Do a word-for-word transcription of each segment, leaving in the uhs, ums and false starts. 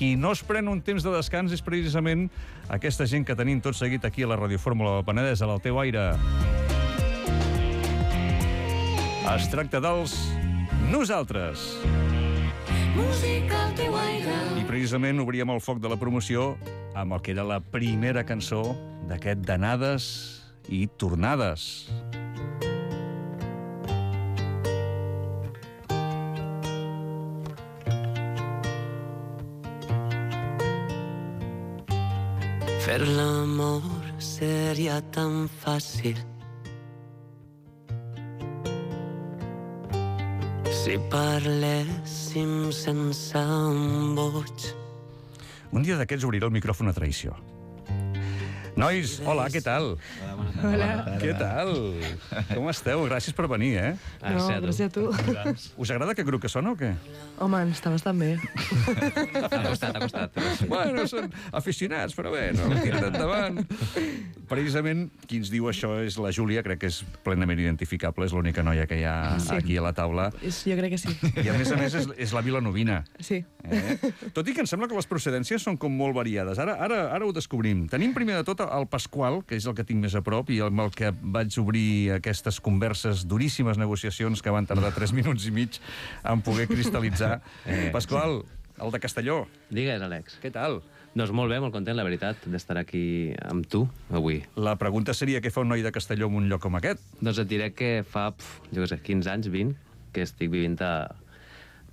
Qui no es pren un temps de descans és precisament aquesta gent que tenim tot seguit aquí a la Radiofórmula del Penedès, a l'Alteu Aire. Es tracta dels Nosaltres. Música al teu aire. I precisament obríem el foc de la promoció amb el que era la primera cançó d'aquest d'anades i tornades. Fer l'amor seria tan fàcil si parléssim sense embuts. Un dia d'aquests obriré el micròfon a traïció. Nois, hola, què tal? Hola. Què tal? Com esteu? Gràcies per venir, eh? No, gràcies a tu. Us agrada aquest grup que sona o què? Home, està bastant bé. Ha costat, ha costat. Bueno, són aficionats, però bé, no, tira endavant. Precisament, qui ens diu això és la Júlia, crec que és plenament identificable, és l'única noia que hi ha Sí. aquí a la taula. És, jo crec que sí. I a més a més és, és la vilanovina. Sí. Eh? Tot i que em sembla que les procedències són com molt variades. Ara, ara, ara ho descobrim. Tenim primer de tot el Pasqual, que és el que tinc més a prop i amb el que vaig obrir aquestes converses, duríssimes negociacions que van tardar tres minuts i mig en poder cristal·litzar. Eh, Pasqual, el de Castelló, Digues, Àlex. què tal? Doncs molt bé, molt content, la veritat, d'estar aquí amb tu avui. La pregunta seria què fa un noi de Castelló en un lloc com aquest? Doncs et diré que fa, pf, jo què sé, quinze anys, vint, que estic vivint a,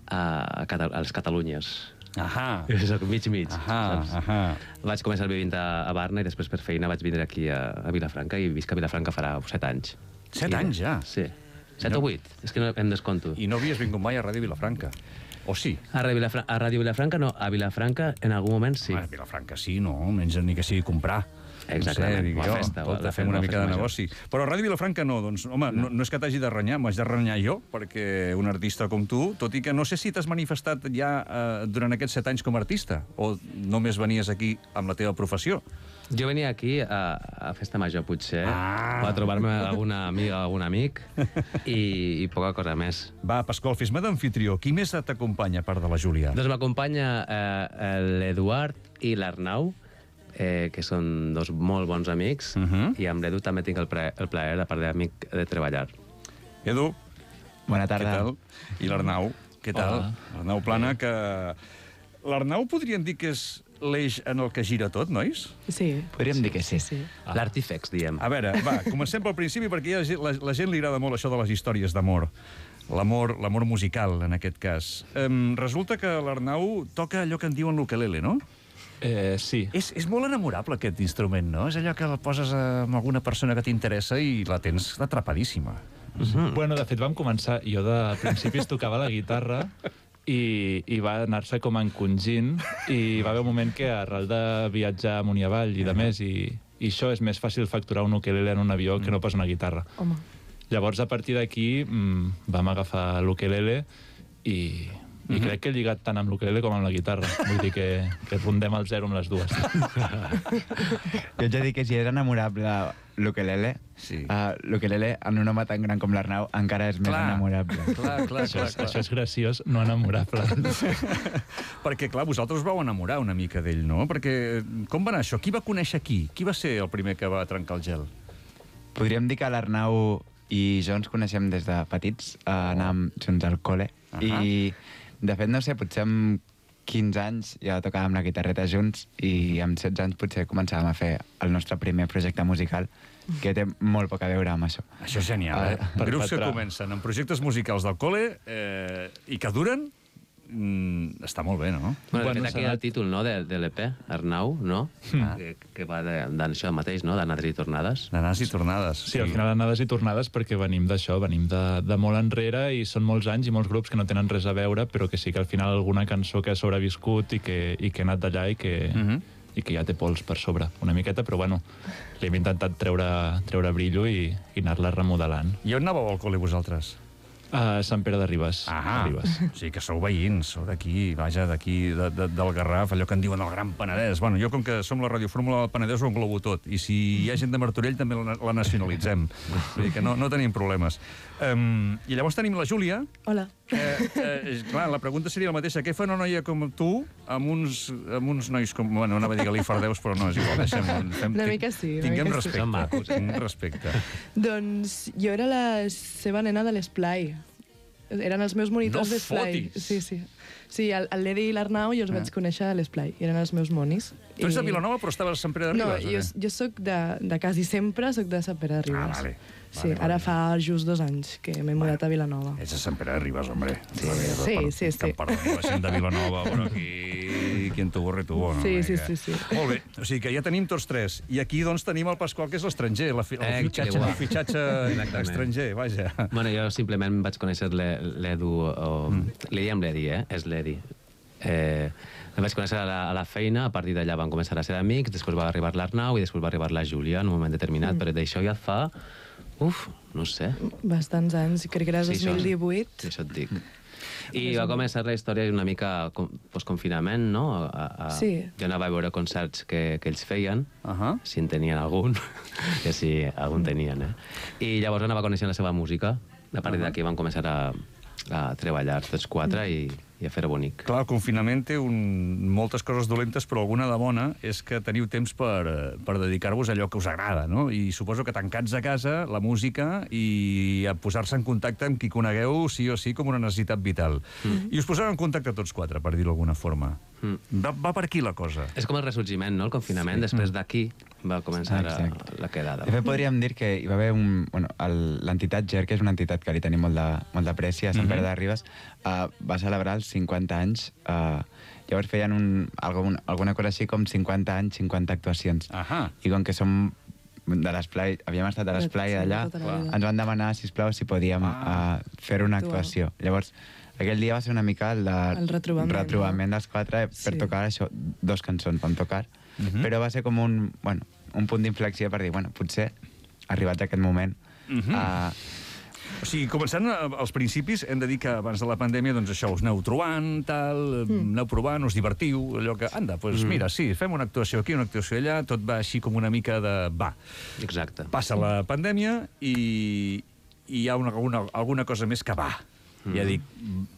a, a, Cata- a les Catalunyes. Ahà. Soc mig-mig, Ahà, saps? ahà. Vaig començar vivint a, a Barna i després per feina vaig vindre aquí a, a Vilafranca i visc a Vilafranca farà set anys. Set I, anys, ja? Sí. Set No. o vuit, és que no em desconto. I no havies vingut mai a Ràdio Vilafranca? O sí? A Ràdio Vilafranca, a Ràdio Vilafranca no, a Vilafranca en algun moment sí. Home, Vilafranca sí, no? Menys ni que sigui comprar. Exactament, No sé, dic una jo, festa, escolta, la fem festa, una una mica de festa negoci. Però a Ràdio Vilafranca no, doncs, home, no, no és que t'hagi de renyar, m'haig de renyar jo, perquè un artista com tu, tot i que no sé si t'has manifestat ja eh, durant aquests set anys com a artista, o només venies aquí amb la teva professió. Jo venia aquí a, a Festa Major, potser, Ah. a trobar-me alguna amiga, algun amic, i, i poca cosa més. Va, Pasqual, fes-me d'amfitrió. Qui més t'acompanya, a part de la Júlia? Doncs m'acompanya eh, l'Eduard i l'Arnau, eh, que són dos molt bons amics, Uh -huh. i amb l'Edu també tinc el, pre, el plaer, a part d'amic, de treballar. Edu, Bona què tarda. tal? I l'Arnau, què tal? Hola. L'Arnau Plana, que... L'Arnau podríem dir que és l'eix en el que gira tot, nois? Sí. Podríem dir que sí. Sí. Ah. L'Artifex, diem. A veure, va, comencem pel principi, perquè ja la, la gent li agrada molt això de les històries d'amor. L'amor l'amor musical, en aquest cas. Um, resulta que l'Arnau toca allò que en diuen l'ukelele, no? Eh, sí. És, és molt enamorable, aquest instrument, no? És allò que el poses amb alguna persona que t'interessa i la tens atrapadíssima. Mm. Bueno, de fet, vam començar... Jo de principis tocava la guitarra i, i va anar-se com encongint i va haver un moment que arrel de viatjar amunt i avall i de més i, i això és més fàcil facturar un ukelele en un avió que no pas una guitarra. Home. Llavors, a partir d'aquí, mmm, vam agafar l'ukelele i... I Mhm. crec que he lligat tant amb l'ukelele com amb la guitarra. Vull dir que, que rondem el zero amb les dues. Jo ets a dir que si és enamorable l'ukelele, Sí. uh, l'ukelele en un home tan gran com l'Arnau encara és més Clar. enamorable. Clar, clar, Això, és, això és graciós, no enamorable. Perquè, clar, vosaltres us vau enamorar una mica d'ell, no? Perquè, com va anar això? Qui va conèixer qui? Qui va ser el primer que va trencar el gel? Podríem dir que l'Arnau i jo ens coneixem des de petits, uh, anàvem junts al col·le, Ahà. i de fet, no sé, potser amb quinze anys ja tocàvem la guitarreta junts i amb setze anys potser començàvem a fer el nostre primer projecte musical, que té molt poc a veure amb això. Això és genial, eh? per Grups que patrà. comencen amb projectes musicals del col·le eh, i que duren, mm, està molt bé, no? Bueno, de Bueno, fet, aquí s'ha el títol no, de, de l'E P, Arnau, no? Ah. Que, que va de- d'això mateix, no? D'anades i tornades. D'anades i tornades. Sí, al final anades i tornades perquè venim d'això, venim de, de molt enrere i són molts anys i molts grups que no tenen res a veure, però que sí que al final alguna cançó que ha sobreviscut i que, i que ha anat d'allà i que... Uh -huh. i que ja té pols per sobre, una miqueta, però bueno, li hem intentat treure, treure brillo i, i anar-la remodelant. I on anàveu al col·le vosaltres? A Sant Pere de Ribes. Ah, Ribes. o sigui que sou veïns, sou d'aquí, vaja, d'aquí, de, de, del Garraf, allò que en diuen el Gran Penedès. Bueno, jo, com que som la Radiofórmula del Penedès, ho englobo tot. I si hi ha gent de Martorell, també la, la nacionalitzem. Vull dir que no, no tenim problemes. Um, I llavors tenim la Júlia, Hola. Eh, eh, clar, la pregunta seria la mateixa. Què fa una noia com tu amb uns, amb uns nois com... Bueno, anava a dir Galifardeus, però no, és igual. Deixem, fem, Una mica sí, una Tinguem mica sí. respecte. Són macos, eh? Tinguem respecte. Doncs jo era la seva nena de l'Esplai. Eren els meus monitors No d'Esplai. fotis! Sí, sí. Sí, el, el Ledi i l'Arnau jo els vaig conèixer a l'Esplai. Eren els meus monis. Tu ets de Vilanova, però estaves a Sant Pere de No, Ribes, jo, jo sóc de, de quasi sempre soc de Sant Pere de Ribes. Ah, vale. Sí, Vale, ara vale. fa just dos anys que m'he mudat a Vilanova. Ets de Sant Pere de Ribes, hombre. Sí, sí, sí, sí. Perdó, la gent de Vilanova, però aquí... Quien tu borre tu, no? Sí, sí, Que- sí, sí. Molt bé, o sigui que ja tenim tots tres. I aquí, doncs, tenim el Pasqual, que és l'estranger, la fi- el Eh, fitxatge, que guai. el fitxatge Exactament. estranger, vaja. Bueno, jo simplement vaig conèixer l'E- l'Edu, o... Mm. Li diem l'Edi, eh? És l'Edi. Eh, el vaig conèixer a la, a la feina, a partir d'allà van començar a ser amics, després va arribar l'Arnau i després va arribar la Júlia en un moment determinat, mm. però d'això ja fa... Uf, no sé. Bastants anys, crec que era Sí, dos això- mil divuit. Sí, això et dic. I va començar la història una mica com- post-confinament, no? A, a, Sí. Jo anava a veure concerts que, que ells feien, Uh -huh. si en tenien algun, que sí, algun tenien, eh? I llavors anava coneixent la seva música. A partir d'aquí van començar a, a treballar tots quatre i, i a fer-ho bonic. Clar, el confinament té un... moltes coses dolentes, però alguna de bona és que teniu temps per, eh, per dedicar-vos a allò que us agrada, no? I suposo que tancats a casa, la música i a posar-se en contacte amb qui conegueu sí o sí com una necessitat vital. Mm. I us poseu en contacte tots quatre, per dir-ho d'alguna forma. Mm. Va, va per aquí la cosa. És com el ressorgiment, no?, el confinament. Sí. Després d'aquí va començar a, Exacte. la quedada. De fet, podríem dir que hi va haver un... Bueno, el- l'entitat G E R, que és una entitat que li tenim molt de- molt d'apreci a Sant Pere de Ribes, uh, va celebrar els cinquanta anys. Uh, llavors feien un, algun, alguna cosa així com cinquanta anys, cinquanta actuacions. Ahà. I com que som de l'esplai, havíem estat a l'esplai Sí, d'allà, tota la vida. ens van demanar, sisplau, si podíem Ah. uh, fer una Actuar. actuació. Llavors, aquell dia va ser una mica el, de, El retrobament, retrobament no? dels quatre per Sí. tocar això, dos cançons vam tocar, però va ser com un, bueno, un punt d'inflexió per dir, bueno, potser, arribats a aquest moment, Mhm. uh, O sigui, començant a- als principis, hem de dir que abans de la pandèmia, doncs això, us aneu trobant, tal, mm. aneu provant, us divertiu, allò que, anda, doncs pues, mm. mira, sí, fem una actuació aquí, una actuació allà, tot va així com una mica de... va. Exacte. Passa la pandèmia i, i hi ha una, alguna, alguna cosa més que va. Mm. Ja dic,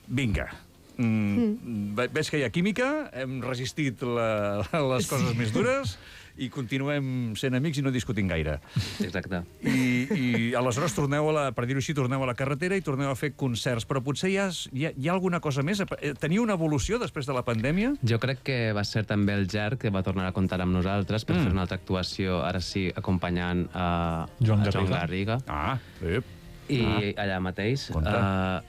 vinga, mm, ve- veig que hi ha química, hem resistit la, les coses més dures i continuem sent amics i no discutim gaire. Exacte. I, i aleshores torneu a la, per dir-ho així, torneu a la carretera i torneu a fer concerts, però potser hi ha, hi ha, hi ha alguna cosa més? Teniu una evolució després de la pandèmia? Jo crec que va ser també el Ger que va tornar a comptar amb nosaltres per Mm. mm. fer una altra actuació, ara sí, acompanyant a, Joan a Joan Garriga. Garriga. Ah, ep. I allà mateix. Compte. Uh,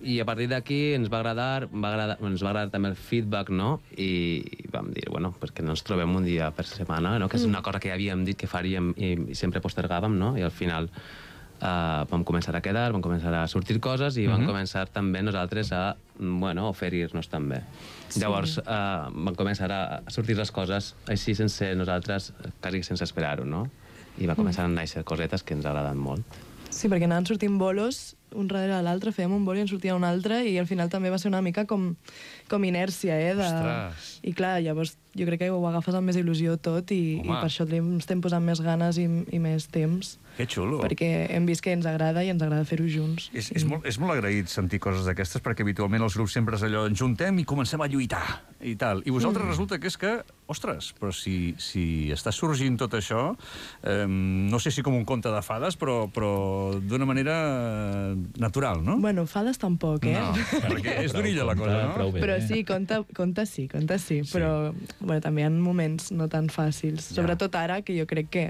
I a partir d'aquí ens va agradar, va agradar, ens va agradar també el feedback, no? I vam dir, bueno, pues que no ens trobem un dia per setmana, no? Que és una cosa que ja havíem dit que faríem i, i sempre postergàvem, no? I al final uh, vam començar a quedar, vam començar a sortir coses i vam començar també nosaltres a, bueno, oferir-nos també. Sí. Llavors uh, van començar a sortir les coses així sense nosaltres, quasi sense esperar-ho, no? I va començar a néixer cosetes que ens agraden molt. Sí, perquè anaven sortint bolos un darrere l'altre, fèiem un bolo i en sortia un altre i al final també va ser una mica com, com inèrcia, eh? De... Ostres. I clar, llavors jo crec que ho agafes amb més il·lusió tot i, i Home. per això li estem posant més ganes i, i més temps, Que xulo. perquè hem vist que ens agrada i ens agrada fer-ho junts. És, és, molt, és molt agraït sentir coses d'aquestes, perquè habitualment els grups sempre és allò, ens juntem i comencem a lluitar, i tal. I vosaltres mm. resulta que és que, ostres, però si, si està sorgint tot això, eh, no sé si com un conte de fades, però, però d'una manera eh, natural, no? Bueno, fades tampoc, eh? No, perquè és d'orilla la cosa, no? Prou bé. Però sí, conta, conta sí, conta sí, sí. Però bueno, també hi ha moments no tan fàcils. Ja. Sobretot ara, que jo crec que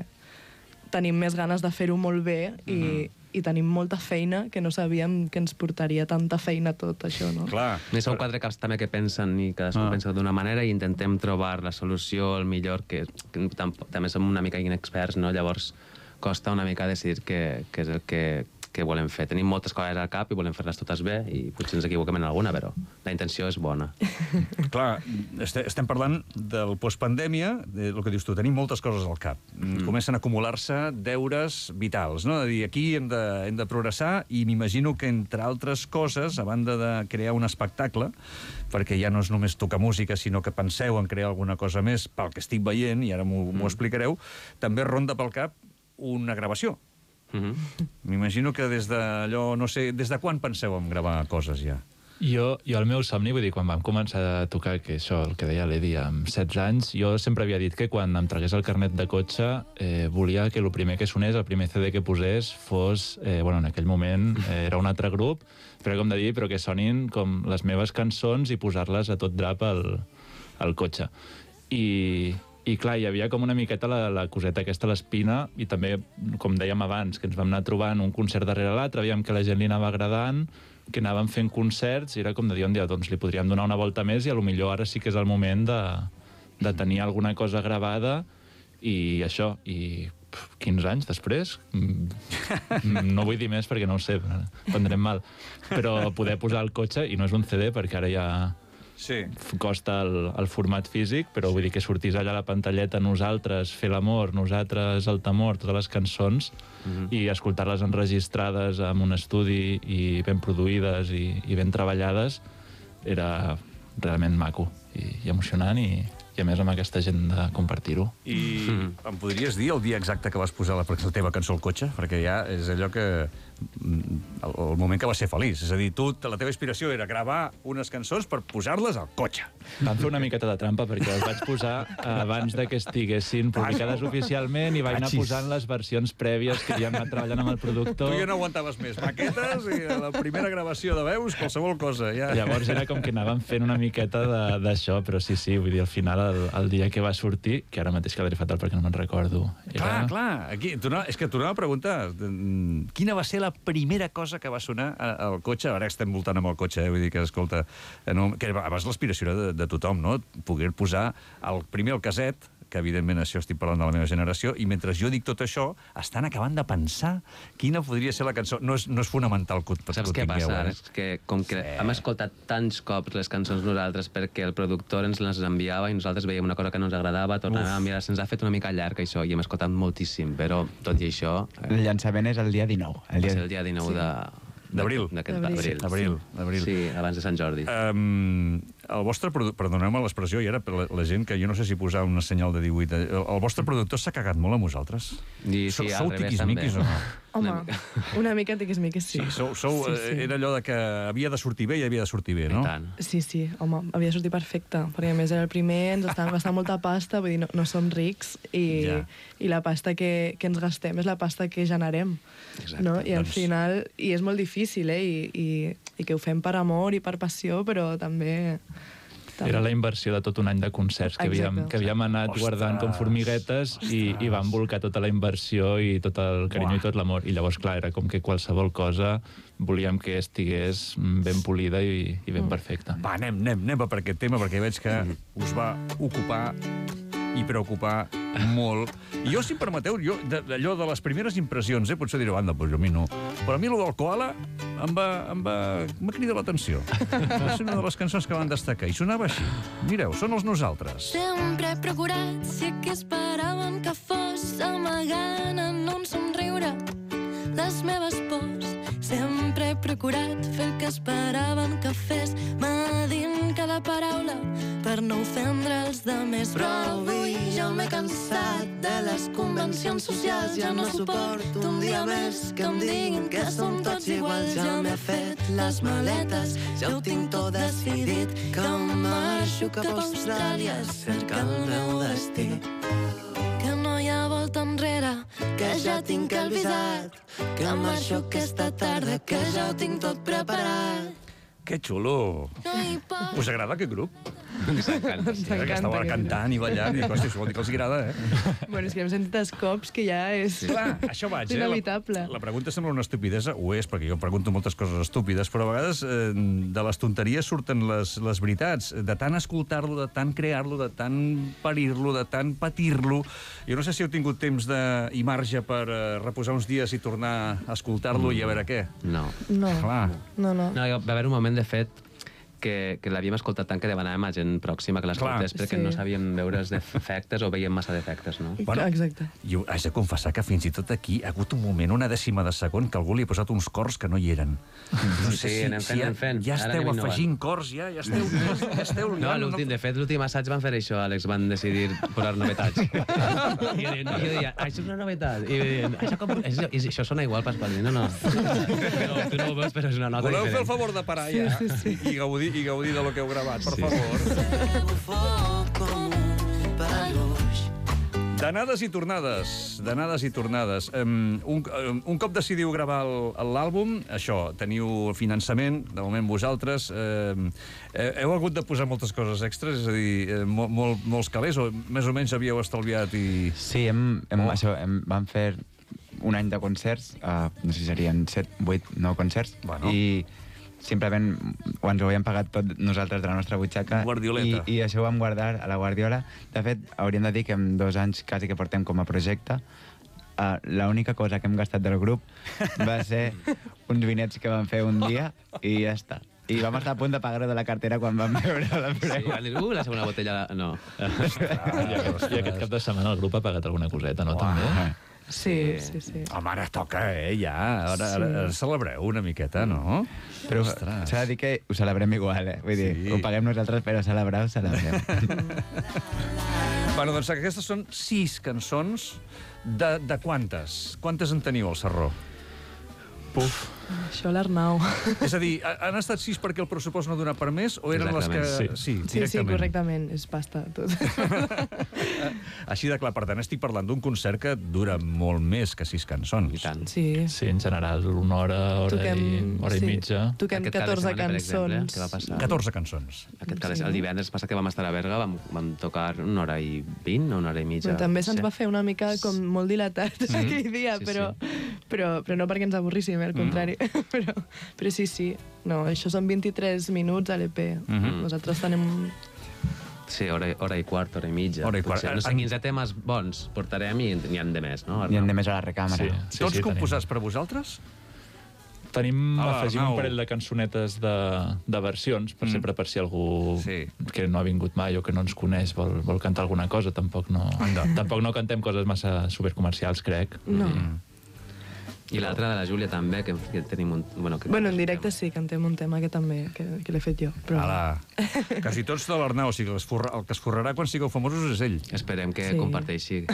tenim més ganes de fer-ho molt bé i, Mhm. i tenim molta feina, que no sabíem que ens portaria tanta feina tot això, no? Clar. I som quatre caps també que pensen i cadascú Ah. ah. pensa d'una manera i intentem trobar la solució, el millor, que, que tam també som una mica inexperts, no? Llavors costa una mica decidir què, què és el que, que volem fer. Tenim moltes coses al cap i volem fer-les totes bé i potser ens equivoquem en alguna, però la intenció és bona. Clar, este- estem parlant del postpandèmia, del que dius tu, tenim moltes coses al cap. Mm. Comencen a acumular-se deures vitals, no? De dir, aquí hem de, hem de progressar i m'imagino que, entre altres coses, a banda de crear un espectacle, perquè ja no és només tocar música, sinó que penseu en crear alguna cosa més, pel que estic veient, i ara m'ho mm. explicareu, també ronda pel cap una gravació. Mm -hmm. M'imagino que des d'allò, no sé, des de quan penseu en gravar coses ja? Jo, jo el meu somni, vull dir, quan vam començar a tocar, que això, el que deia l'Edi, amb setze anys, jo sempre havia dit que quan em tragués el carnet de cotxe eh, volia que el primer que sonés, el primer C D que posés, fos, eh, bueno, en aquell moment eh, era un altre grup, però com de dir, però que sonin com les meves cançons i posar-les a tot drap al, al cotxe. I, i clar, hi havia com una miqueta la, la coseta aquesta, l'espina, i també, com dèiem abans, que ens vam anar trobant un concert darrere l'altre, veiem que la gent li anava agradant, que anàvem fent concerts, i era com de dir un dia, doncs li podríem donar una volta més i a lo millor ara sí que és el moment de, de tenir alguna cosa gravada i això, i pf, quinze anys després, no vull dir més perquè no ho sé, prendrem mal, però poder posar el cotxe, i no és un C D perquè ara ja sí. costa el, el format físic, però vull dir que sortís allà a la pantalleta nosaltres, Fer l'amor, nosaltres, el temor, totes les cançons, mm-hmm. i escoltar-les enregistrades en un estudi i ben produïdes i, i ben treballades, era realment maco i, i emocionant, i, i a més amb aquesta gent de compartir-ho. I mm. em podries dir el dia exacte que vas posar la, la teva cançó al cotxe? Perquè ja és allò que... El, el moment que va ser feliç. És a dir, tu, la teva inspiració era gravar unes cançons per posar-les al cotxe. Vam fer una miqueta de trampa perquè les vaig posar abans de que estiguessin publicades oficialment i vaig anar posant les versions prèvies que ja hem anat treballant amb el productor. Tu ja no aguantaves més. Maquetes i la primera gravació de veus, qualsevol cosa. Ja. Llavors era com que anàvem fent una miqueta d'això, però sí, sí, vull dir, al final, el, el dia que va sortir, que ara mateix quedaré fatal perquè no me'n recordo. Era... Clar, clar. Aquí, tu no, és que tornava a preguntar quina va ser la primera cosa que va sonar al cotxe. Ara estem voltant amb el cotxe, eh? Vull dir que, escolta, no, que abans l'aspiració era de, de tothom, no? Poder posar el, primer el caset, que evidentment això estic parlant de la meva generació, i mentre jo dic tot això, estan acabant de pensar quina podria ser la cançó. No és, no és fonamental que, que Saps ho què tingueu, passa? eh? És que com que sí. hem escoltat tants cops les cançons nosaltres perquè el productor ens les enviava i nosaltres veiem una cosa que no ens agradava, tornàvem a mirar, se'ns ha fet una mica llarg això, i hem escoltat moltíssim, però tot i això... Eh, el llançament és el dia dinou. El dia... Va ser el dia dinou sí. de... D'abril. D'aquest D'abril. abril. D'abril. Sí, abans de Sant Jordi. Um, el vostre produ... Perdoneu-me l'expressió, i ara per la, la gent que jo no sé si posar una senyal de divuit... El, el vostre productor s'ha cagat molt amb vosaltres? I, sí, Sou al revés, també. tiquismiquis o no? Home, una mica tiquismiquis, sí. Sí, sou, sou, sí, sí. Era allò de que havia de sortir bé i havia de sortir bé, no? I tant. Sí, sí, home, havia de sortir perfecte, perquè a més era el primer, ens estàvem gastant molta pasta, vull dir, no, no som rics, i, Ja. i la pasta que, que ens gastem és la pasta que generem. Exacte. No? I al Doncs- final, i és molt difícil, eh? I, i, i que ho fem per amor i per passió, però també... també. Era la inversió de tot un any de concerts que havíem, Exacte. que havíem anat Ostres, guardant com formiguetes i, i vam volcar tota la inversió i tot el carinyo Buah. i tot l'amor. I llavors, clar, era com que qualsevol cosa volíem que estigués ben polida i, i ben perfecta. Va, anem, anem, anem per aquest tema, perquè veig que us va ocupar i preocupar molt. I jo, si em permeteu, jo, d'allò de les primeres impressions, eh, potser direu, anda, doncs a mi no. Però a mi allò del koala em va, em va, em va cridar l'atenció. Va ser una de les cançons que van destacar, i sonava així. Mireu, són els Nosaltres. Sempre he procurat si aquí esperaven que fos amagant en un somriure les meves pors. Sempre he procurat fer el que esperaven que fes, medint cada paraula per no ofendre els demés. Però avui ja m'he cansat de les convencions socials, ja no suporto un dia més que em diguin que som tots iguals. Ja m'he fet les maletes, ja ho tinc tot decidit, que marxo cap a Austràlia a cercar el meu destí. Que no hi ha volta enrere, que ja tinc el visat, que marxo aquesta tarda, que ja ho tinc tot preparat. Que xulo! No hi pot... Us agrada aquest grup? Ens encanta, sí. Que estava aquest cantant i ballant, i hosti, això vol dir que els agrada, eh? Bueno, és que hem sentit els cops que ja és... Clar, això vaig, eh? Inevitable. La, la pregunta sembla una estupidesa, ho és, perquè jo pregunto moltes coses estúpides, però a vegades eh, de les tonteries surten les, les veritats. De tant escoltar-lo, de tant crear-lo, de tant parir-lo, de tant patir-lo. Jo no sé si heu tingut temps de, i marge per eh, reposar uns dies i tornar a escoltar-lo mm. i a veure què. No. No, Clar. no, no. No, va haver un moment, de fet, que, que l'havíem escoltat tant que demanàvem a gent pròxima que l'escoltés perquè sí. no sabíem veure els defectes o veiem massa defectes, no? Bueno, Exacte. Jo haig de confessar que fins i tot aquí ha hagut un moment, una dècima de segon, que algú li ha posat uns cors que no hi eren. No Sí, anem fent, ja, anem fent. ja Ara esteu anem innovant. afegint cors, ja, ja esteu... Ja esteu No, l'últim, de fet, l'últim assaig van fer això, Àlex, van decidir posar novetats. I jo, deia, jo deia, això és una novetat. I deien, això, com, és, és, això sona igual, Pasqual. No, no. no. Tu no ho veus, però és una nota Voleu diferent. fer el favor de parar ja Sí, sí, sí. I, gaudir, i gaudir de lo que heu gravat, per Sí. favor. D'anades i tornades, d'anades i tornades. Um, un, um, un cop decidiu gravar el- l'àlbum, això, teniu finançament, de moment vosaltres, um, heu hagut de posar moltes coses extres, és a dir, eh, mol, molt, molts calés, o més o menys havíeu estalviat i... Sí, hem, hem, Oh. oh. això, hem, vam fer un any de concerts, uh, no sé si serien set, vuit, nou concerts, Bueno. i simplement ho ens ho havíem pagat tot nosaltres de la nostra butxaca, Guardioleta. i, i això ho vam guardar a la Guardiola. De fet, hauríem de dir que en dos anys quasi que portem com a projecte, uh, l'única cosa que hem gastat del grup va ser uns vinets que vam fer un dia i ja està. I vam estar a punt de pagar-ho de la cartera quan vam veure la Sí, preu. van dir, uh, la segona botella... No. I aquest, I aquest cap de setmana el grup ha pagat alguna coseta, no? També? Sí, sí, sí. Home, ara toca, eh, ja. Ara, Sí. ara, ara celebreu una miqueta, no? Però Ostres. s'ha de dir que ho celebrem igual, eh? Vull dir, Sí. ho paguem nosaltres, però celebrar ho celebrem. Bueno, doncs aquestes són sis cançons. De, de quantes? Quantes en teniu al Sarró? Puf. Això l'Arnau. És a dir, ha- han estat sis perquè el pressupost no dona per més o eren les que... Exactament, Sí, Sí, sí, correctament. És pasta, tot. Així de clar, per tant, estic parlant d'un concert que dura molt més que sis cançons. I tant. Sí. Sí, en general, una hora, hora, i, hora sí, i mitja. Toquem Aquest cap de catorze setmana, per exemple, cançons. què va passar? catorze cançons. Aquest cas, Sí. el divendres passat que vam estar a Berga vam, vam tocar una hora i vint, una hora i mitja. Però també se'ns Sí. va fer una mica com molt dilatat aquell dia, Sí, però, però, però no perquè ens avorríssim, eh, al contrari. però, però sí, sí. No, això són vint-i-tres minuts a l'E P. Mhm. Nosaltres tenim... Sí, hora, hora i quart, hora i mitja. Hora i quart. Potser, no sé, En- quinze temes bons portarem i n'hi ha de més, no? N'hi ha de més a la recàmera. Sí, Sí, sí, Tots sí, composats per vosaltres? Tenim, Ah, afegim Arnau. un parell de cançonetes de, de versions, per Mm. sempre per si algú Sí. que no ha vingut mai o que no ens coneix vol, vol cantar alguna cosa. Tampoc no, Anda. tampoc no cantem coses massa supercomercials, crec. No. Mm. I l'altra de la Júlia també, que, que tenim un... Bueno, que Bueno, en directe sí, cantem un tema que també, que, que l'he fet jo. Però... Ala, quasi tots de l'Arnau, o sigui, el que es forra- el que es forrarà quan sigueu famosos és ell. Esperem que Sí. comparteixi.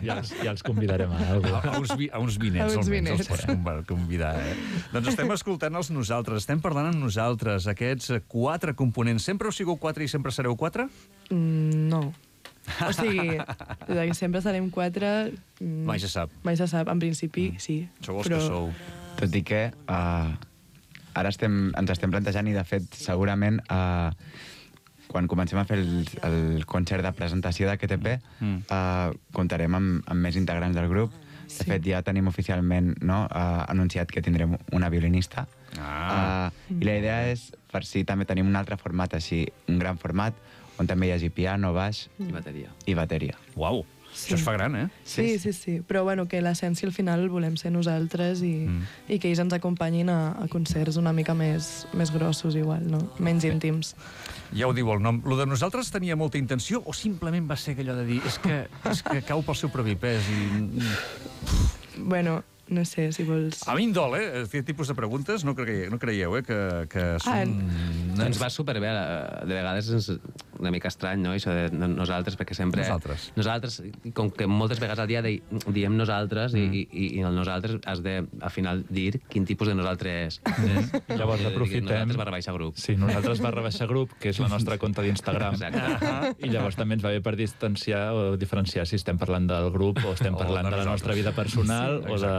Ja els, ja els convidarem a alguna A, a, uns, vi- a uns vinets, A uns almenys, els vinets. pots conv- convidar. Eh? Doncs estem escoltant els nosaltres, estem parlant amb nosaltres, aquests eh, quatre components. Sempre heu sigut quatre i sempre sereu quatre? Mm, no. O sigui, de que sempre serem quatre... mm, Mai se sap. Mai se sap. En principi, sí. Sou els però... que sou. Tot i que uh, ara estem, ens estem plantejant i, de fet, segurament uh, quan comencem a fer el, el concert de presentació d'aquest E P Mm. uh, comptarem amb, amb més integrants del grup. De Sí. fet, ja tenim oficialment no, uh, anunciat que tindrem una violinista. Ah. Uh, I la idea és, per si també tenim un altre format així, un gran format, on també hi hagi piano, baix I bateria. i bateria. Uau, Sí. això es fa gran, eh? Sí, sí, sí. Però bueno, que l'essència al final volem ser nosaltres i, Mm. i que ells ens acompanyin a, a concerts una mica més, més grossos igual, no? Menys íntims. Ja ho diu el nom. Lo de nosaltres tenia molta intenció o simplement va ser allò de dir és que, és que cau pel seu propi pes i... Bueno, no sé, si vols... A mi em dol, eh? Aquest tipus de preguntes no, creieu, no creieu, eh? Que, que són... Ens va superbé, eh, de vegades és una mica estrany, no?, això de no- nosaltres, perquè sempre... Nosaltres. Nosaltres, com que moltes vegades al dia di, diem nosaltres Mm. i, i, i el nosaltres has de, al final, dir quin tipus de nosaltres és. Llavors I de dir aprofitem... Nosaltres barra baixa grup. Sí, nosaltres barra baixa grup, que és la nostra compte d'Instagram. Exacte. I llavors també ens va bé per distanciar o diferenciar si estem parlant del grup o estem O parlant de de la nostra nosaltres. vida personal Sí, o, de,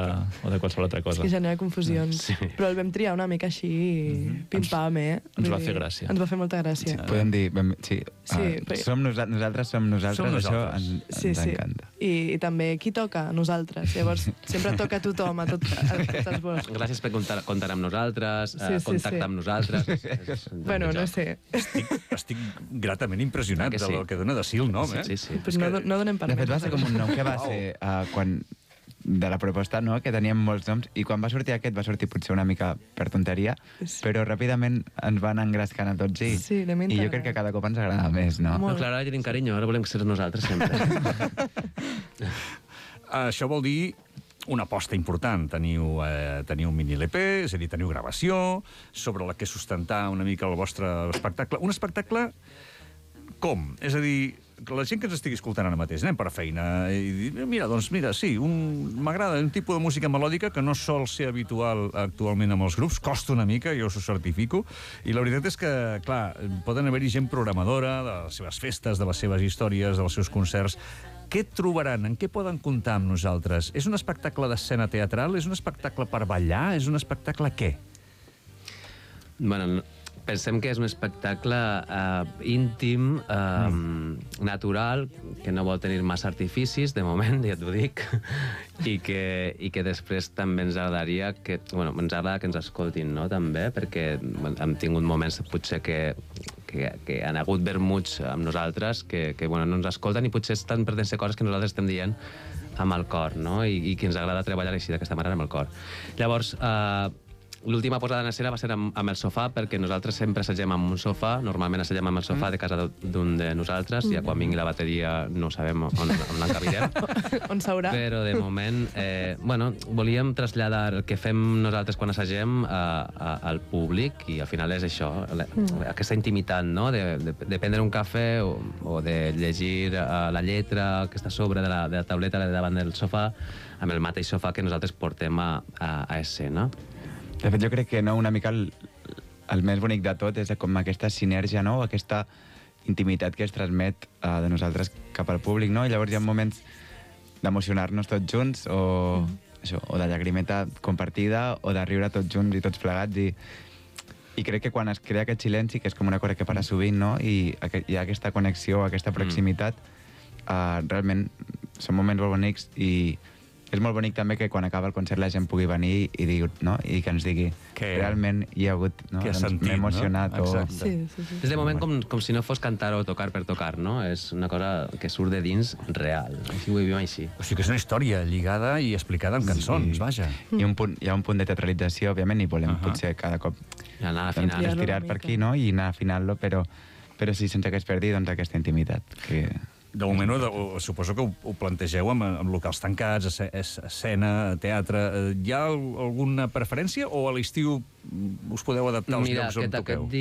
o de qualsevol altra És cosa. que genera confusions. Sí. Però el vam triar una mica així, pim-pam, eh? ens va Vull fer dir, gràcia. Ens va fer molta gràcia. Podem dir... ben- Sí, Sí, uh, perquè- som nosa nosaltres, som nosaltres, Som nosaltres. això ens, Sí, ens sí. encanta. I, I també qui toca? Nosaltres. Llavors, sempre toca a tothom, a, tot, a, a tots els vols. Gràcies per comptar, comptar amb nosaltres, Sí, eh, sí, contactar sí. amb nosaltres. És- és un Bueno, joc. no sé. Estic, estic gratament impressionat Ah, que sí? del que dona de si el nom, eh? Sí, sí. Pues no, no donem per De fet, va més, ser com un nom que va ser uh, quan de la proposta, no?, que teníem molts noms, i quan va sortir aquest va sortir potser una mica per tonteria, Sí. però ràpidament ens van engrescant a tots i, Sí, l'hem i jo integrat. crec que cada cop ens agrada més, no? No, clar, ara tenim carinyo, ara volem ser nosaltres sempre. Això vol dir una aposta important. Teniu, eh, teniu un mini-L P, és a dir, teniu gravació, sobre la que sustentar una mica el vostre espectacle. Un espectacle com? És a dir, que la gent que ens estigui escoltant ara mateix, anem per feina, i dir, mira, doncs mira, sí, un... m'agrada un tipus de música melòdica que no sol ser habitual actualment amb els grups, costa una mica, jo us ho certifico, i la veritat és que, clar, poden haver-hi gent programadora de les seves festes, de les seves històries, dels seus concerts. Què trobaran? En què poden comptar amb nosaltres? És un espectacle d'escena teatral? És un espectacle per ballar? És un espectacle què? Bueno, pensem que és un espectacle eh, íntim, eh, mm. natural, que no vol tenir massa artificis, de moment, ja t'ho dic, i que, i que després també ens agradaria que, bueno, ens agrada que ens escoltin, no?, també, perquè bueno, hem tingut moments potser que, que, que han hagut vermuts amb nosaltres, que, que bueno, no ens escolten i potser estan perdent-se coses que nosaltres estem dient amb el cor, no?, i, i que ens agrada treballar així d'aquesta manera amb el cor. Llavors, eh, l'última posada en escena va ser amb, amb el sofà, perquè nosaltres sempre assagem amb un sofà, normalment assagem amb el sofà de casa d'un de nosaltres, ja quan vingui la bateria no sabem on, on l'encabirem. On s'haurà? Però de moment, eh, bueno, volíem traslladar el que fem nosaltres quan assagem a, a, al públic, i al final és això, la, aquesta intimitat, no?, de, de, de prendre un cafè o, o de llegir uh, la lletra que està a sobre de la, de la tauleta davant del sofà, amb el mateix sofà que nosaltres portem a, a, a escena. De fet, jo crec que no, una mica el, el més bonic de tot és com aquesta sinergia, no?, aquesta intimitat que es transmet uh, de nosaltres cap al públic, no? I llavors hi ha moments d'emocionar-nos tots junts, o, mm. això, o de llagrimeta compartida, o de riure tots junts i tots plegats, i, i crec que quan es crea aquest silenci, que és com una cosa que para sovint, no?, i aqu hi ha aquesta connexió, aquesta proximitat, mm. uh, realment són moments molt bonics, i és molt bonic també que quan acaba el concert la gent pugui venir i, digui, no? I que ens digui que realment hi ha hagut... No? Que ha doncs sentit, m'he emocionat, no? o... Sí, sí, sí. És de moment com, com si no fos cantar o tocar per tocar, no? És una cosa que surt de dins real. Així ho vivim així. O sigui que és una història lligada i explicada amb cançons, Sí. vaja. I un punt, hi ha un punt de teatralització, òbviament, i volem uh -huh. potser cada cop I anar a la doncs, final. estirar per aquí, no?, i anar afinant-lo, però, però sí, sense que es perdi doncs, aquesta intimitat. Que... De moment, ho, ho, suposo que ho, ho plantegeu amb, amb locals tancats, esce- es- escena, teatre. Hi ha al- alguna preferència o a l'estiu us podeu adaptar als Mira, llocs on aquest, toqueu? aquest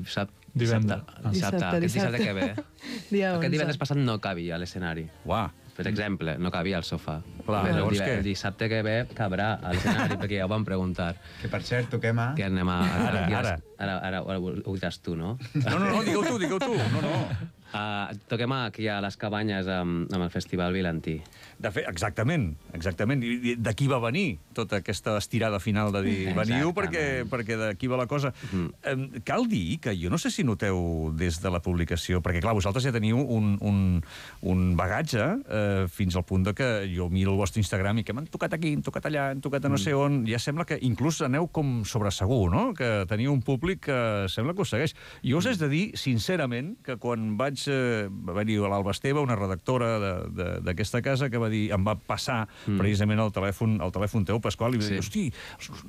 dissabte... Divendres. Dissabte, dissabte, Dissabte, aquest dissabte dissabte. que ve. Dia Aquest onze. divendres passat no cabia a l'escenari. Uah, Per exemple, no cabia al sofà. Clar, Però el, llavors dive- què? el dissabte que ve cabrà a l'escenari, perquè ja ho vam preguntar. Que, per cert, toquem a... Que anem a... a Ara, aquí a- ara. Ara, ara, ara ho ho diràs tu, no? no, no, no, digueu tu, digueu tu. No, no. Uh, toquem aquí a les Cabanyes amb, amb el Festival Vilantí. De fet, exactament, exactament. I i d'aquí va venir tota aquesta estirada final de dir veniu perquè, Exactament. perquè d'aquí va la cosa. Mm. Eh, cal dir que jo no sé si noteu des de la publicació, perquè clar, vosaltres ja teniu un, un, un bagatge eh, fins al punt de que jo miro el vostre Instagram i que m'han tocat aquí, han tocat allà, han tocat a no sé on, ja sembla que inclús aneu com sobre segur, no?, que teniu un públic que sembla que us segueix. Jo us he de dir, sincerament, que quan vaig eh, va venir a l'Alba Esteve, una redactora de- de- d'aquesta casa, que va dir, em va passar mm. precisament el telèfon, el telèfon teu, Pasqual, i va dir, Sí. hosti,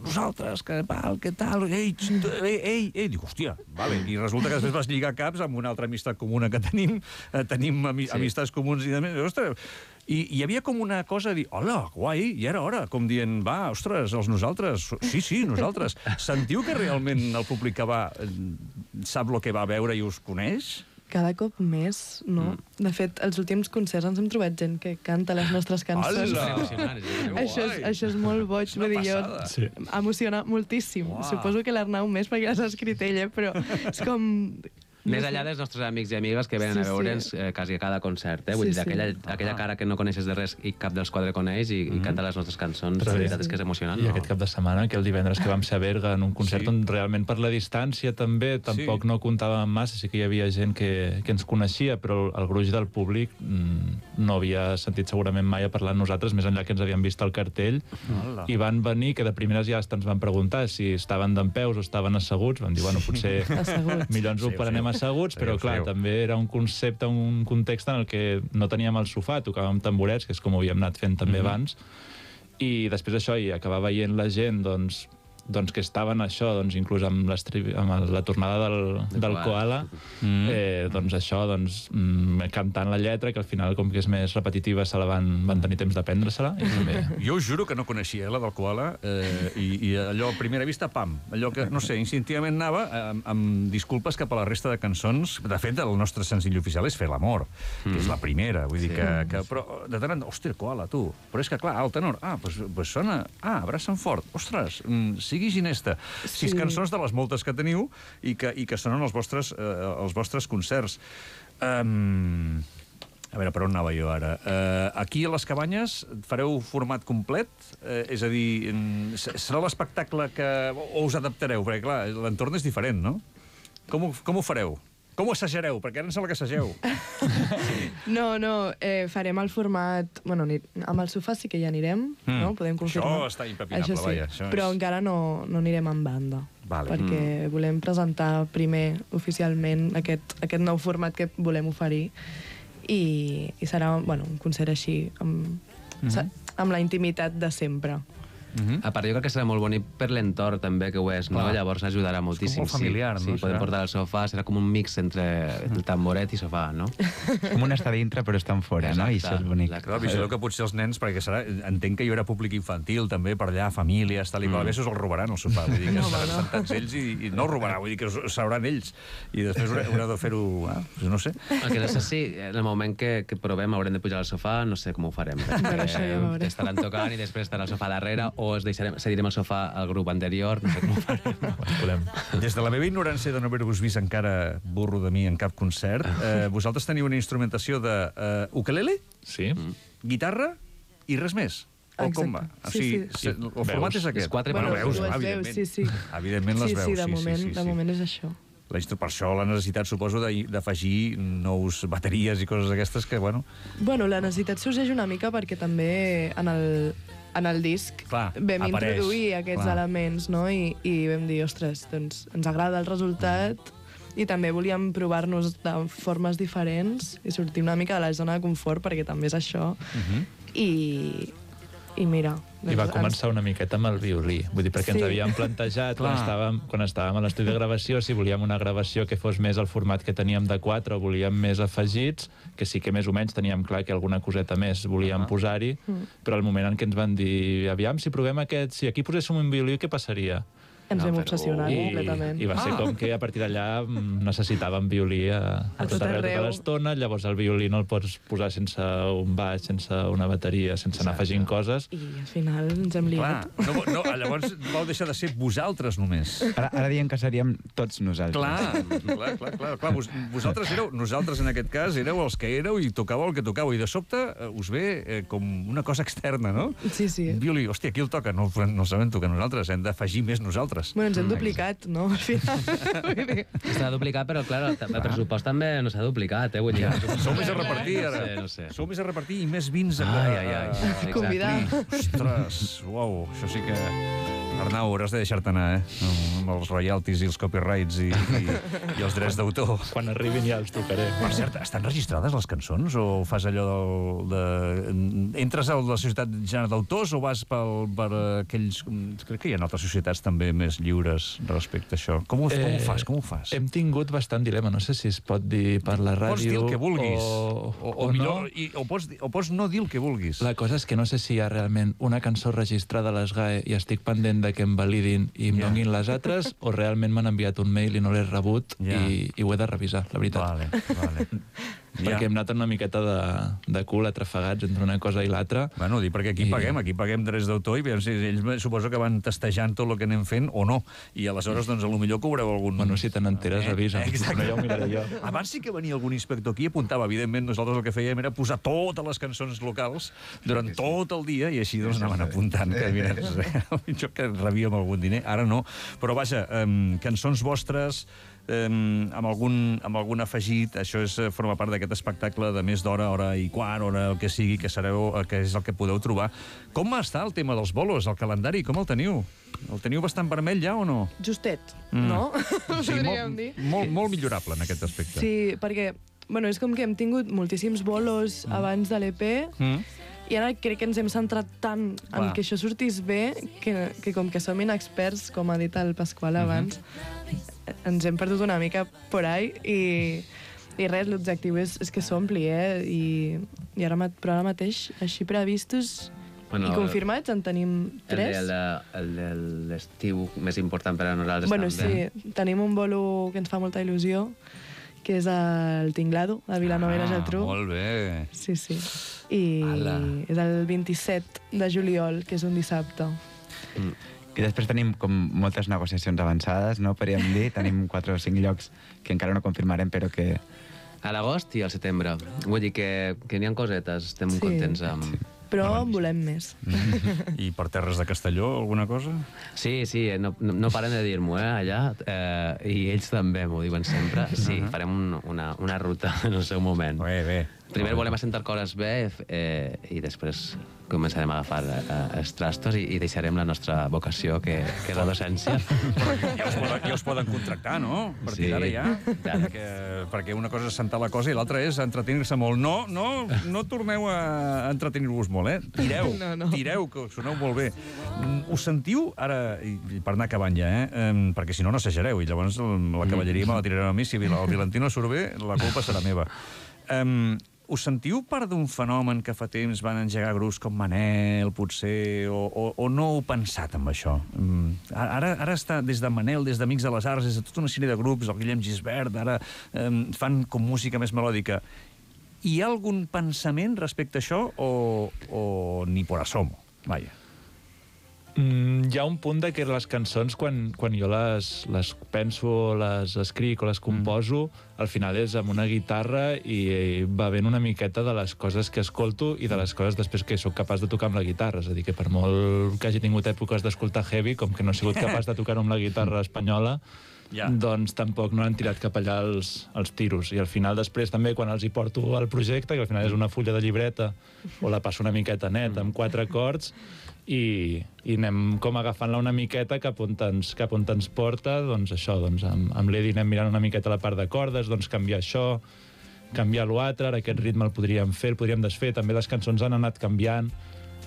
nosaltres, que tal, que tal, ei, xt, ei, ei, ei, dic, hòstia, vale. I resulta que després vas lligar caps amb una altra amistat comuna que tenim, eh, tenim ami Sí. amistats comuns i de més, ostres, i hi havia com una cosa de dir, hola, guai, i era hora, com dient, va, ostres, els nosaltres, sí, sí, nosaltres. Sentiu que realment el públic que va eh, sap el que va veure i us coneix? Cada cop més, no? Mm. De fet, als últims concerts ens hem trobat gent que canta les nostres cançons. Hola! Emocionant, sí. Això és, això és molt boig, una vull dir, jo passada. Sí. emociona moltíssim. Uau. Suposo que l'Arnau més perquè l'has escrit ell, eh? Però és com... Més enllà dels nostres amics i amigues que venen Sí, a sí. veure'ns eh, quasi a cada concert, eh? Vull Sí, dir, sí. aquella, aquella cara que no coneixes de res i cap dels quatre coneix i, i canta les nostres cançons, Però la sí. veritat és que és emocionant, I no? aquest cap de setmana, que el divendres que vam ser a Berga en un concert Sí. on realment per la distància també tampoc Sí. no comptàvem massa, sí que hi havia gent que, que ens coneixia, però el, el gruix del públic mm, no havia sentit segurament mai a parlar amb nosaltres, més enllà que ens havien vist al cartell, Hola. i van venir, que de primeres ja ens van preguntar si estaven dempeus o estaven asseguts, van dir, bueno, potser Asseguts. millor ens ho Feu, prenem feu. asseguts, però Feu, clar, feu. també era un concepte, un context en el que no teníem el sofà, tocàvem tamborets, que és com ho havíem anat fent també abans, i després això, i acabar veient la gent, doncs, doncs que estaven això, doncs inclús amb, amb la tornada del, del koala, Mm. eh, doncs això, doncs, mm, cantant la lletra, que al final, com que és més repetitiva, se la van, van tenir temps d'aprendre-se-la. I també... Jo us juro que no coneixia, eh, la del koala, eh, i, i allò, a primera vista, pam, allò que, no sé, instintivament anava amb, amb disculpes cap a la resta de cançons. De fet, el nostre senzill oficial és Fer l'amor, que és la primera, vull dir que, que... Però de tant en tant, hòstia, koala, tu. Però és que, clar, el tenor, ah, doncs pues, pues sona... Ah, abraça'm fort. Ostres, mm, sigui ginesta. Sis Sí. cançons de les moltes que teniu i que, i que sonen els vostres, eh, els vostres concerts. Um, a veure, per on anava jo ara? Uh, aquí a les Cabanyes fareu format complet? Uh, és a dir, mm, serà l'espectacle que... o us adaptareu? Perquè, clar, l'entorn és diferent, no? Com ho, com ho fareu? Com ho assajareu? Perquè ara em sembla que assageu. No, no, eh, farem el format... Bueno, ni, amb el sofà sí que ja anirem, Mm. no? Podem confirmar. Això està impepinable, Això sí, vaja, això és- però encara no, no anirem en banda. Vale. Perquè volem presentar primer oficialment aquest, aquest nou format que volem oferir i, i serà, bueno, un concert així amb, sa- amb la intimitat de sempre. A part, jo crec que serà molt bonic per l'entorn, també, que ho és, no? Clar. Llavors ajudarà moltíssim. molt familiar, sí, no? Sí, podem Serà? portar el sofà, serà com un mix entre el tamboret i sofà, no? Com un estar dintre però estan fora, no? I això és bonic. Exacte. Clar, vigileu que potser els nens, perquè serà, entenc que hi haurà públic infantil també per allà, famílies, tal i qual, mm. us el robaran el sopar, vull dir que No, estaran no. sentats ells i, i no el robarà, vull dir que us, sabran ells i després haureu, haureu de fer-ho, ah, no sé. El que no sé si en el moment que, que provem haurem de pujar al sofà, no sé com ho farem. Però això ja ho veurem. Estaran tocant i després estarà el sofà darrere o es deixarem, cedirem el sofà al grup anterior, no sé com ho farem. Podem. Des de la meva ignorància de no haver-vos vist encara burro de mi en cap concert, eh, vosaltres teniu una instrumentació de eh, ukelele, Sí? guitarra i res més. O com va? Exacte. O Sí, sigui, sí. se- el format Veus? és aquest. És quatre bueno, veus, veus, dues clar, veus, evidentment. sí, sí. Evidentment les sí, veus. sí, de sí, moment, sí, sí, de sí. moment és això. La instru- Per això la necessitat, suposo, de- d'afegir nous bateries i coses d'aquestes que, bueno... Bueno, la necessitat sorgeix una mica perquè també en el, en el disc Clar, vam apareix, introduir aquests clar. elements, no? I, i vam dir, ostres, doncs ens agrada el resultat i també volíem provar-nos de formes diferents i sortir una mica de la zona de confort, perquè també és això. Mhm. I, i mira... I va doncs començar una miqueta amb el violí. Vull dir, perquè Sí. ens havíem plantejat, quan Clar. estàvem, quan estàvem a l'estudi de gravació, si volíem una gravació que fos més el format que teníem de quatre o volíem més afegits, que sí que més o menys teníem clar que alguna coseta més volíem Ah. posar-hi, però al moment en què ens van dir, aviam, si provem aquest, si aquí poséssim un violí, què passaria? Ens No, vam però- obsessionar I, completament. I va ser Ah. com que a partir d'allà mm, necessitàvem violí a, a, A tot tot arreu tota arreu. l'estona, llavors el violí no el pots posar sense un baix, sense una bateria, sense anar afegint coses. I al final ens hem Clar, liat. no, no, llavors vau deixar de ser vosaltres només. Ara, ara diem que seríem tots nosaltres. Clar, clar, clar, clar, clar. Vos, vosaltres éreu, nosaltres en aquest cas, éreu els que éreu i tocàveu el que tocàveu. I de sobte eh, us ve eh, com una cosa externa, no? Sí, sí. Un violí, hòstia, qui el toca? No, no el sabem tocar nosaltres, hem d'afegir més nosaltres. Bueno, ens hem duplicat, no? Al final. Vull dir, S'ha duplicat, però, clar, el, el pressupost també no s'ha duplicat, eh? Vull dir, Sou més a repartir, ara. No sé, no sé. Sou més a repartir i més vins a... Ai, ai, ai. a- Exacte. Convidar. Ostres, uau, això sí que... Arnau, hauràs de deixar-te anar, eh? Amb els royalties i els copyrights i, i, i els drets d'autor. Quan arribin ja els tocaré. Per cert, estan registrades les cançons o fas allò del, de... Entres a la societat general d'autors o vas pel, per aquells... Crec que hi ha altres societats també més lliures respecte a això. Com ho, com ho fas? Com ho fas? Hem tingut bastant dilema, no sé si es pot dir per la ràdio... Pots dir el que vulguis. O, o, o, o, millor, no. i, o, pots, dir- o pots no dir el que vulguis. La cosa és que no sé si hi ha realment una cançó registrada a les G A E i estic pendent de que em validin i em Ja. donin les altres, o realment m'han enviat un mail i no l'he rebut Ja. i, i ho he de revisar, la veritat. Vale, vale. Perquè hem anat una miqueta de, de cul atrafegats entre una cosa i l'altra. Bueno, dic perquè aquí I- paguem, aquí paguem drets d'autor i veiem si ells me- suposo que van testejant tot el que anem fent o no. I aleshores, doncs, a lo millor cobreu algun... Bueno, si te n'enteres, avisa'm. Exacte. No, ja ho miraré jo. Abans sí que venia algun inspector aquí i apuntava. Evidentment, nosaltres el que fèiem era posar totes les cançons locals durant tot el dia i així doncs anaven apuntant que, mira, jo que rebíem algun diner. Ara no. Però vaja, um, cançons vostres, eh, amb, algun, amb algun afegit. Això és, forma part d'aquest espectacle de més d'hora, hora i quart, hora el que sigui, que, sereu, que és el que podeu trobar. Com està el tema dels bolos, el calendari? Com el teniu? El teniu bastant vermell ja o no? Justet, Mm. no? Sí, Podríem molt, dir. molt, molt millorable en aquest aspecte. Sí, perquè bueno, és com que hem tingut moltíssims bolos mm. abans de l'E P Mm. i ara crec que ens hem centrat tant Clar. en que això sortís bé que, que com que som inexperts, com ha dit el Pasqual abans, mm-hmm. ens hem perdut una mica por ahí i, i res, l'objectiu és, és que s'ompli, eh? I, i ara, ma- però ara mateix, així previstos Bueno, i confirmats, en tenim tres. El de, el de l'estiu més important per a nosaltres Bueno, també. sí, tenim un bolo que ens fa molta il·lusió, que és el Tinglado, de Vilanova i la Geltrú. Ah, molt bé. Sí, sí. I Ala. és el vint-i-set de juliol, que és un dissabte. I després tenim com moltes negociacions avançades, no? Podríem dir, tenim quatre o cinc llocs que encara no confirmarem, però que... A l'agost i al setembre. Vull dir que, que n'hi ha cosetes, estem Sí. contents amb... Però en volem més. I per terres de Castelló, alguna cosa? Sí, sí, no, no, no paren de dir-m'ho, eh, allà, eh, i ells també m'ho diuen sempre. Sí, farem un, una, una ruta en el seu moment. Bé, bé. Primer volem assentar coses bé eh, i després començarem a agafar eh, els trastos i, i deixarem la nostra vocació, que, que és la docència. Ja us poden, ja us poden contractar, no? A partir Sí. d'ara ja. Tant. Perquè, perquè una cosa és sentar la cosa i l'altra és entretenir-se molt. No, no, no torneu a entretenir-vos molt, eh? Tireu, No, no. tireu, que us soneu molt bé. Mm, Us sentiu, ara, i i per anar acabant ja, eh? Em, perquè si no, no assajareu, i llavors el- la cavalleria me la tirareu a mi. Si el Vilantino surt bé, la culpa serà meva. Um, us sentiu part d'un fenomen que fa temps van engegar grups com Manel, potser, o, o, o no heu pensat en això? Um, ara, ara està des de Manel, des d'Amics de les Arts, des de tota una sèrie de grups, el Guillem Gisbert, ara um, fan com música més melòdica. Hi ha algun pensament respecte a això o, o ni por asomo? Vaja. Mm, hi ha un punt de que les cançons, quan, quan jo les, les penso, les escric o les composo, mm. al final és amb una guitarra i, i va ben una miqueta de les coses que escolto i de les coses després que sóc capaç de tocar amb la guitarra. És a dir, que per molt que hagi tingut èpoques d'escoltar heavy, com que no he sigut capaç de tocar amb la guitarra espanyola, Ja. doncs tampoc no han tirat cap allà els, els tiros. I al final després també, quan els hi porto al projecte, que al final és una fulla de llibreta, o la passo una miqueta net, amb quatre acords, i, i anem com agafant-la una miqueta cap on ens, cap on ens porta, doncs això, doncs amb, amb l'Edi anem mirant una miqueta la part de cordes, doncs canviar això, canviar l'altre, ara aquest ritme el podríem fer, el podríem desfer, també les cançons han anat canviant,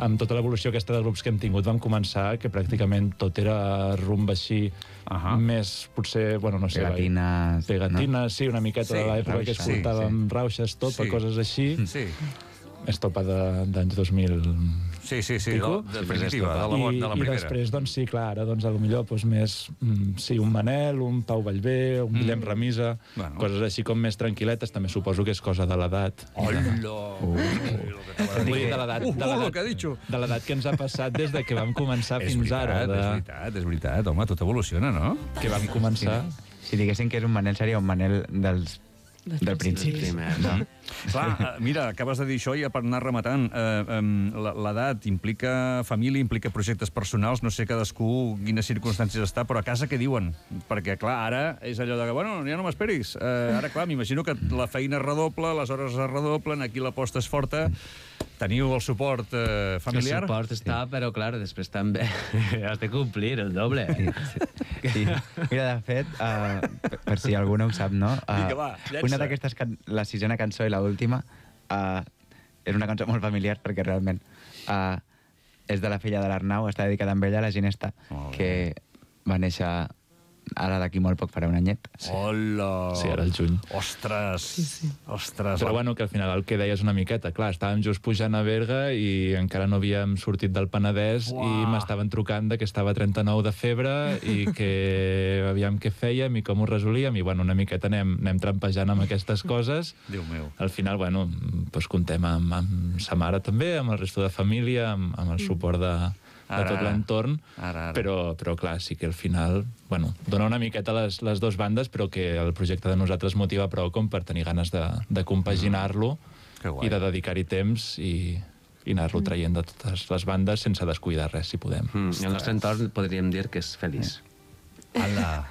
amb tota l'evolució aquesta de grups que hem tingut vam començar que pràcticament tot era rumba així, Ahà. més potser, bueno, no sé... Pegatines, Pegatines, no? Sí, una miqueta Sí, de l'època que rauxa, escoltàvem sí, rauxes, topa, Sí. coses així. Sí, És topa de- d'anys dos mil... sí, sí, sí, de, Pico? de definitiva, de la, I, bo- de la I primera. després, doncs sí, clar, ara, doncs, potser doncs, més, mm, sí, un Manel, un Pau Vallvé, un Guillem Ramisa, Bueno. coses així com més tranquil·letes, també suposo que és cosa de l'edat. Hola! Uh. Vull dir, de l'edat Uh, de uh, lo l'edat- que ha dicho. de l'edat que ens ha passat des de que vam començar És fins veritat, ara. De, és veritat, és veritat. Home, tot evoluciona, no? que vam començar... Si diguéssim que és un Manel, seria un Manel dels, del principi. Primer, No? Clar, eh, mira, acabes de dir això i ja per anar rematant, eh, eh, l'edat implica família, implica projectes personals, no sé cadascú quines circumstàncies està, però a casa què diuen? Perquè, clar, ara és allò de que, bueno, ja no m'esperis. Eh, ara, clar, m'imagino que la feina es redobla, les hores es redoblen, aquí l'aposta és forta. Teniu el suport eh, familiar? El suport està, però clar, després també has de complir el doble. Sí. Mira, de fet, uh, per, per si algú no ho sap, no? Uh, Vinga, va, llença. una d'aquestes, can- la sisena cançó i l'última, uh, és una cançó molt familiar perquè realment uh, és de la filla de l'Arnau, està dedicada a ella, la Ginesta, Molt bé. que va néixer ara d'aquí molt poc farà un anyet. Hola! Sí, ara al juny. Ostres! Sí, sí. Ostres! Però bueno, que al final el que deies una miqueta, clar, estàvem just pujant a Berga i encara no havíem sortit del Penedès Uah. i m'estaven trucant de que estava a trenta-nou de febre i que aviam què fèiem i com ho resolíem i bueno, una miqueta anem, anem trampejant amb aquestes coses. Déu meu. Al final, bueno, doncs comptem amb, amb sa mare també, amb el resto de família, amb, amb el suport de, de Ara, tot l'entorn, ara, ara. però, però clar, sí que al final, bueno, dona una miqueta les, les dues bandes, però que el projecte de nosaltres motiva prou com per tenir ganes de, de compaginar-lo Que guai. i de dedicar-hi temps i, i anar-lo traient de totes les bandes sense descuidar res, si podem. Mm, I el nostre entorn podríem dir que és feliç. Ala,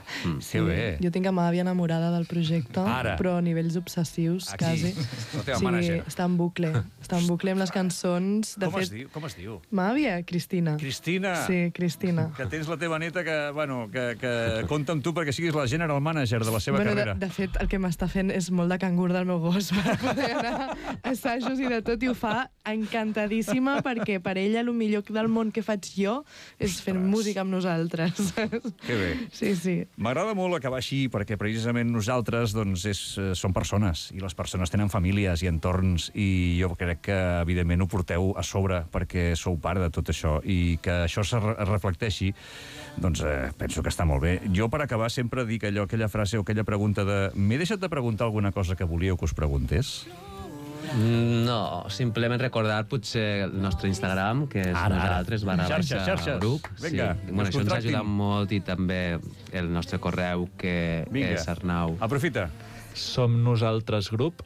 que bé. Jo tinc a ma àvia enamorada del projecte, Ara. però a nivells obsessius, Aquí, quasi. la teva mànager. està en bucle. Està en bucle amb les cançons. De Com fet, es diu? Com es diu? ma àvia, Cristina. Cristina. Sí, Cristina. Que tens la teva neta que, bueno, que, que compta amb tu perquè siguis la general manager de la seva Bueno, de, carrera. de fet, el que m'està fent és molt de cangur del meu gos per poder anar a assajos i de tot, i ho fa encantadíssima perquè per ella el millor del món que faig jo és fent música amb nosaltres. Que bé. Sí, sí. M'agrada molt acabar així perquè precisament nosaltres doncs, és, eh, som persones i les persones tenen famílies i entorns i jo crec que evidentment ho porteu a sobre perquè sou part de tot això i que això es re reflecteixi doncs eh, penso que està molt bé. Jo per acabar sempre dic allò, aquella frase o aquella pregunta de m'he deixat de preguntar alguna cosa que volíeu que us preguntés? No, simplement recordar potser el nostre Instagram, que és Ara, ara. nosaltres barra Xarxes, baixa xarxes. grup. Vinga, sí. que Bueno, us això ens contractin. ajuda molt i també el nostre correu, que Vinga. és arnau. Aprofita. Som nosaltres grup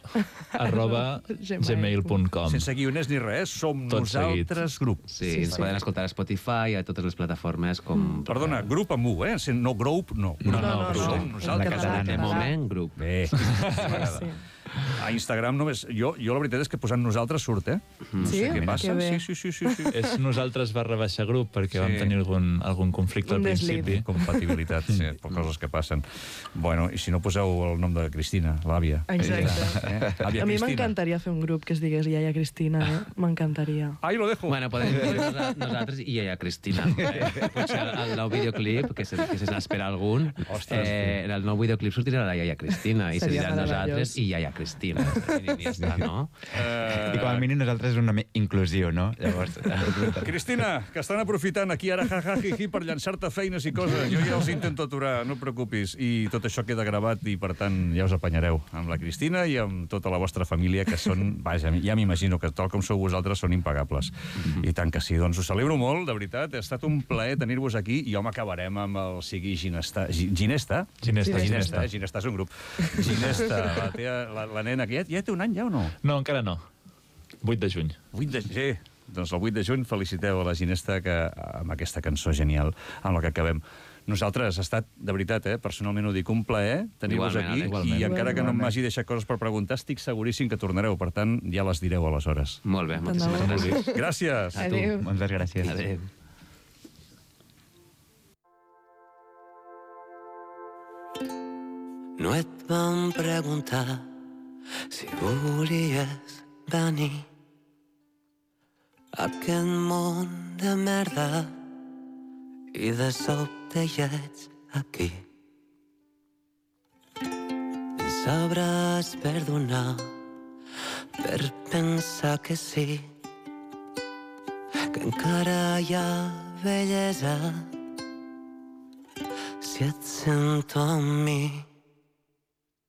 arroba gmail punt com. Sense guioners ni res, som Tot seguit. nosaltres grup. Sí, Sí, ens sí. poden escoltar a Spotify, a totes les plataformes com... Perdona, grup amb U, eh? No group, no. No, no, no, grup. Som En nosaltres. català, De català. moment, grup. Bé, m'agrada. Sí. A Instagram només... Jo, jo la veritat és que posant nosaltres surt, eh? No Sí? sé què Que passa. bé. Sí, sí, sí, sí, sí. És nosaltres barra baixa grup, perquè Sí. vam tenir algun, algun conflicte Un al deslit. principi. Compatibilitat, sí, per coses que passen. Bueno, i si no poseu el nom de Cristina, l'àvia. Exacte. Eh? Àvia A mi Cristina. m'encantaria fer un grup que es digués Iaia Cristina, eh? M'encantaria. Ahí lo dejo. Bueno, podem dir nosa- nosaltres i ella, Cristina. Eh, potser el, el nou videoclip, que se, que se n'espera algun, Ostres, eh, en el nou videoclip sortirà la iaia Cristina i se Seria dirà nosaltres meravellós. i iaia Cristina. I, i ja està, no? Eh, I com a mínim nosaltres és un nom inclusiu, no? Llavors, Cristina, que estan aprofitant aquí ara jajajiji per llançar-te feines i coses. Jo ja els intento aturar, no et preocupis. I tot això queda gravat i, per tant, ja us apanyareu amb la Cristina i amb tota la vostra família, que són, vaja, ja m'imagino que tal com sou vosaltres són impagables. I tant que sí. Doncs us celebro molt, de veritat. Ha estat un plaer tenir-vos aquí i home, acabarem amb el sigui Ginesta. Gi- Ginesta? Ginesta, Ginesta, Ginesta. eh? Ginesta és un grup. Ginesta, la, tea, la, la nena, que ja, ja té un any ja o no? No, encara no. vuit de juny. vuit de juny. Doncs el vuit de juny feliciteu a la Ginesta que, amb aquesta cançó genial amb la que acabem. Nosaltres, ha estat, de veritat, eh, personalment ho dic, un plaer tenir-vos Igualment, aquí igualment. i encara que no Igualment. m'hagi deixat coses per preguntar, estic seguríssim que tornareu. Per tant, ja les direu aleshores. Molt bé, moltíssimes Endavant. gràcies. Gràcies! A tu. Adéu. moltes gràcies. Adéu. No et vam preguntar si volies venir a aquest món de merda i de sobte ja ets aquí. Ens sabràs perdonar per pensar que sí, que encara hi ha bellesa si et sento amb mi.